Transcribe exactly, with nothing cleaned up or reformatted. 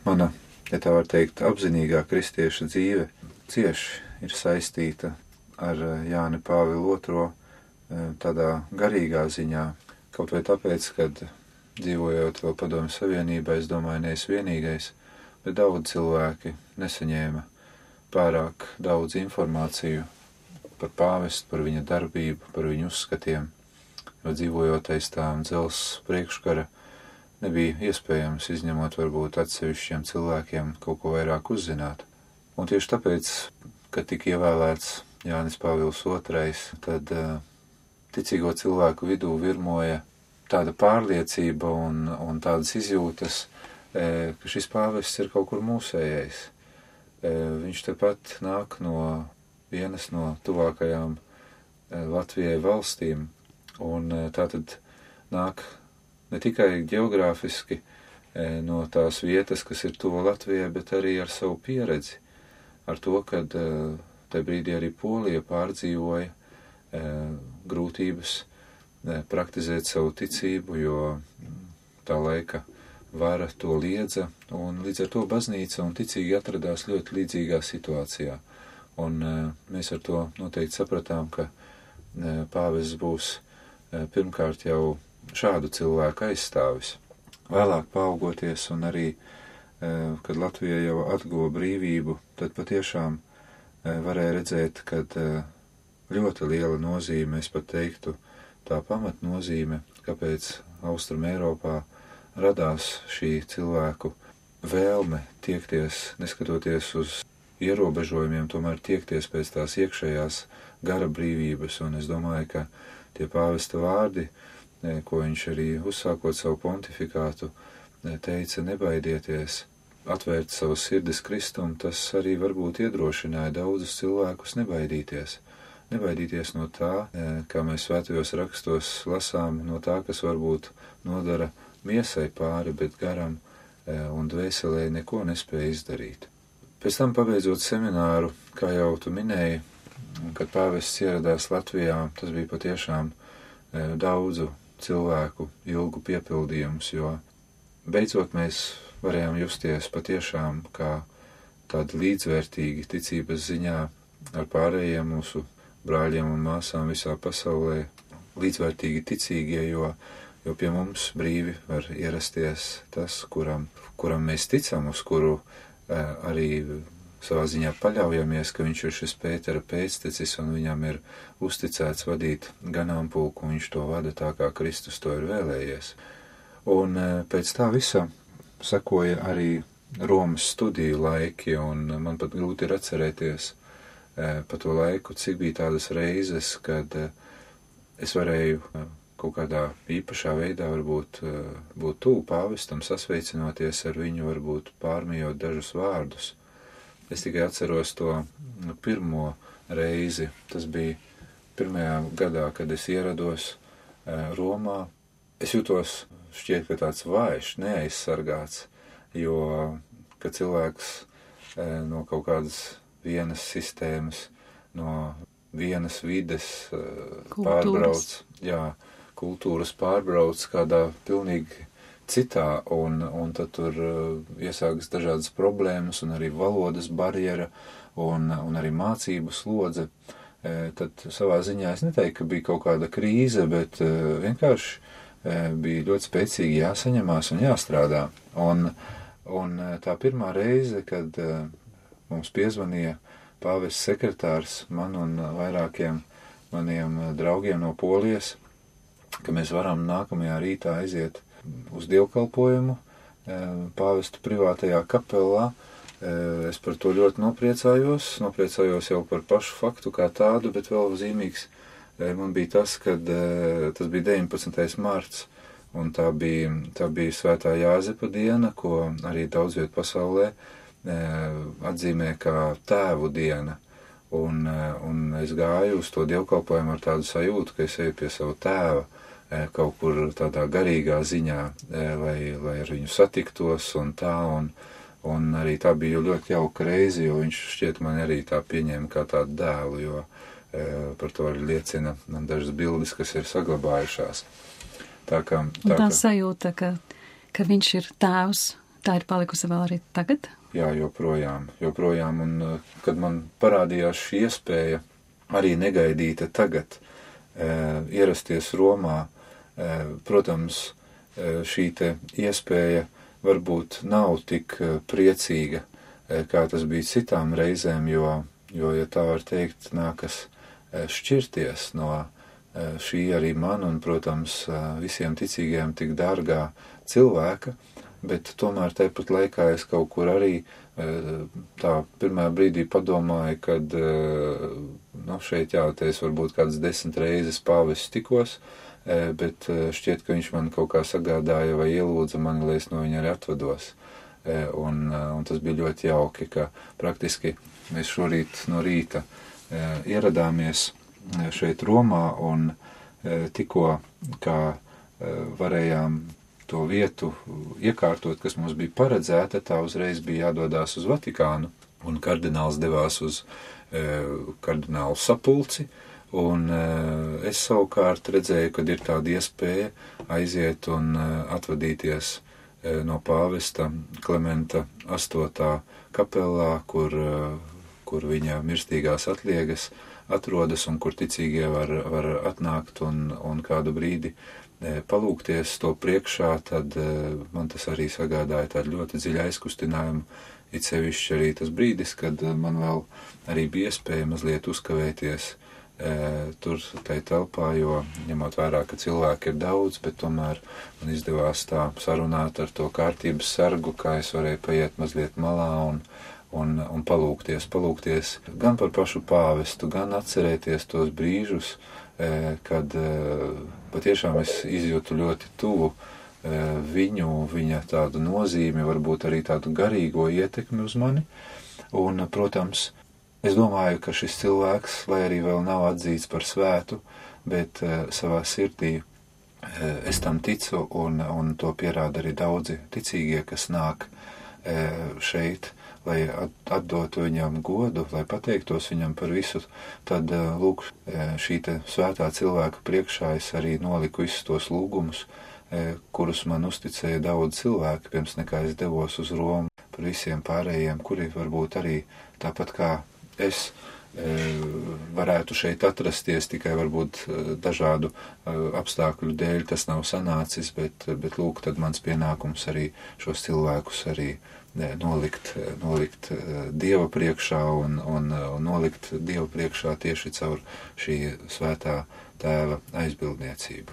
mana, ja tā var teikt, apzinīgā kristieša dzīve cieši ir saistīta ar Jāni Pāvilu otro tādā garīgā ziņā. Kaut vai tāpēc, kad dzīvojot vēl Padomju Savienībā, es domāju, nees vienīgais, bet daudz cilvēki nesaņēma pārāk daudz informāciju par pāvestu, par viņa darbību, par viņu uzskatiem, jo dzīvojot aiz tām dzels priekškara nebija iespējams, izņemot varbūt atsevišķiem cilvēkiem, kaut ko vairāk uzzināt. Un tieši tāpēc, kad tika ievēlēts Jānis Pāvils otrais, tad uh, ticīgo cilvēku vidū virmoja tāda pārliecība un, un tādas izjūtas, e, ka šis pāvests ir kaut kur mūsējais. E, viņš tepat nāk no vienas no tuvākajām e, Latvijai valstīm, un e, tātad nāk ne tikai ģeogrāfiski e, no tās vietas, kas ir tuva Latvijai, bet arī ar savu pieredzi, ar to, kad e, tajā brīdī arī Polija pārdzīvoja e, grūtības praktizēt savu ticību, jo tā laika vara to liedza, un līdz ar to baznīca un ticīgi atradās ļoti līdzīgā situācijā. Un mēs ar to noteikti sapratām, ka pāvests būs pirmkārt jau šādu cilvēku aizstāvis. Vēlāk paaugoties un arī, kad Latvija jau atguva brīvību, tad patiešām varēja redzēt, kad ļoti liela nozīme, es pat teiktu, tā pamatnozīme, kāpēc Austrum Eiropā radās šī cilvēku vēlme tiekties, neskatoties uz ierobežojumiem, tomēr tiekties pēc tās iekšējās gara brīvības. Un es domāju, ka tie pāvesta vārdi, ko viņš arī uzsākot savu pontifikātu, teica nebaidieties, atvērt savas sirdis Kristum, tas arī varbūt iedrošināja daudzus cilvēkus nebaidīties. Nebaidīties no tā, kā mēs svētajos rakstos lasām, no tā, kas varbūt nodara miesai pāri, bet garam un dvēselē neko nespēja izdarīt. Pēc tam, pabeidzot semināru, kā jau tu minēji, kad pāvests ieradās Latvijā, tas bija patiešām daudzu cilvēku ilgu piepildījums, jo beidzot mēs varējām justies patiešām kā tādi līdzvērtīgi ticības ziņā ar pārējiem mūsu brāļiem un māsām visā pasaulē, līdzvērtīgi ticīgie, jo, jo pie mums brīvi var ierasties tas, kuram, kuram mēs ticam, uz kuru eh, arī savā ziņā paļaujamies, ka viņš ir šis Pētera pēctecis un viņam ir uzticēts vadīt ganāmpulku, un viņš to vada tā, kā Kristus to ir vēlējies. Un eh, pēc tā visa sekoja arī Romas studiju laiki, un man pat grūti ir atcerēties pa to laiku, cik bija tādas reizes, kad es varēju kaut kādā īpašā veidā varbūt būt tuvu pāvestam, sasveicinoties ar viņu, varbūt pārmijot dažus vārdus. Es tikai atceros to pirmo reizi, tas bija pirmajā gadā, kad es ierados Romā. Es jutos šķiet, ka tāds vājš, neaizsargāts, jo, kad cilvēks no kaut kādas vienas sistēmas, no vienas vides kultūras. pārbrauc, jā, kultūras pārbrauc kādā pilnīgi citā, un, un tad tur iesākas dažādas problēmas, un arī valodas barjera, un, un arī mācību slodze. Tad savā ziņā es neteiktu, ka bija kaut kāda krīze, bet vienkārši bija ļoti spēcīgi jāsaņemās un jāstrādā. Un, un tā pirmā reize, kad mums piezvanīja pāvests sekretārs man un vairākiem maniem draugiem no Polijas, ka mēs varam nākamajā rītā aiziet uz dievkalpojumu pāvestu privātajā kapelā. Es par to ļoti nopriecājos, nopriecājos jau par pašu faktu kā tādu, bet vēl zīmīgs man bija tas, kad tas bija deviņpadsmitais marts, un tā bija, tā bija Svētā Jāzepa diena, ko arī daudz viet pasaulē atzīmē kā tēvu diena, un, un es gāju uz to dievkalpojumu ar tādu sajūtu, ka es eju pie savu tēva kaut kur tādā garīgā ziņā, lai, lai ar viņu satiktos un tā, un, un arī tā bija ļoti jauka reize, jo viņš šķiet man arī tā pieņēma kā tādu dēlu, jo par to arī liecina man dažas bildes, kas ir saglabājušās. Tā, kā, tā, tā ka... sajūta, ka, ka viņš ir tēvs, Tā ir palikusi vēl arī tagad? Jā, joprojām, joprojām, un kad man parādījās šī iespēja arī negaidīta tagad e, ierasties Romā, e, protams, e, šī te iespēja varbūt nav tik priecīga, e, kā tas bija citām reizēm, jo, jo, ja tā var teikt, nākas e, šķirties no e, šī arī man un, protams, e, visiem ticīgajiem tik dārgā cilvēka, bet tomēr tāpat laikā es kaut kur arī tā pirmā brīdī padomāju, kad nu, šeit jāties varbūt kādas desmit reizes pāvis tikos, bet šķiet, ka viņš man kaut kā sagādāja vai ielūdza mani, lai es no viņa arī atvados. Un, un tas bija ļoti jauki, ka praktiski mēs šorīt no rīta ieradāmies šeit Romā un tikko kā varējām to vietu iekārtot, kas mums bija paredzēta, tā uzreiz bija jādodās uz Vatikānu, un kardināls devās uz e, kardinālu sapulci, un e, es savukārt redzēju, kad ir tāda iespēja aiziet un e, atvadīties e, no pāvesta Klementa astotā kapelā, kur, e, kur viņa mirstīgās atliegas atrodas un kur ticīgie var, var atnākt un, un kādu brīdi palūkties to priekšā, tad man tas arī sagādāja tādu ļoti dziļu aizkustinājumu, it sevišķi arī tas brīdis, kad man vēl arī bija iespēja mazliet uzkavēties e, tur tai telpā, jo ņemot vērā, ka cilvēki ir daudz, bet tomēr man izdevās tā sarunāt ar to kārtības sargu, kā es varēju paiet mazliet malā un, un, un palūkties, palūkties gan par pašu pāvestu, gan atcerēties tos brīžus, kad patiešām es izjūtu ļoti tuvu viņu, viņa tādu nozīmi, varbūt arī tādu garīgo ietekmi uz mani. Un, protams, es domāju, ka šis cilvēks, lai arī vēl nav atzīts par svētu, bet savā sirdī es tam ticu un, un to pierāda arī daudzi ticīgie, kas nāk šeit, lai atdotu viņam godu, lai pateiktos viņam par visu, tad, lūk, šī te svētā cilvēka priekšā es arī noliku visus tos lūgumus, kurus man uzticēja daudz cilvēku, pirms nekā es devos uz Romu, par visiem pārējiem, kuri varbūt arī tāpat kā es varētu šeit atrasties, tikai varbūt dažādu apstākļu dēļ tas nav sanācis, bet, bet lūk, tad mans pienākums arī šos cilvēkus arī nolikt, nolikt Dieva priekšā un, un, un nolikt Dieva priekšā tieši caur šī svētā tēva aizbildniecību.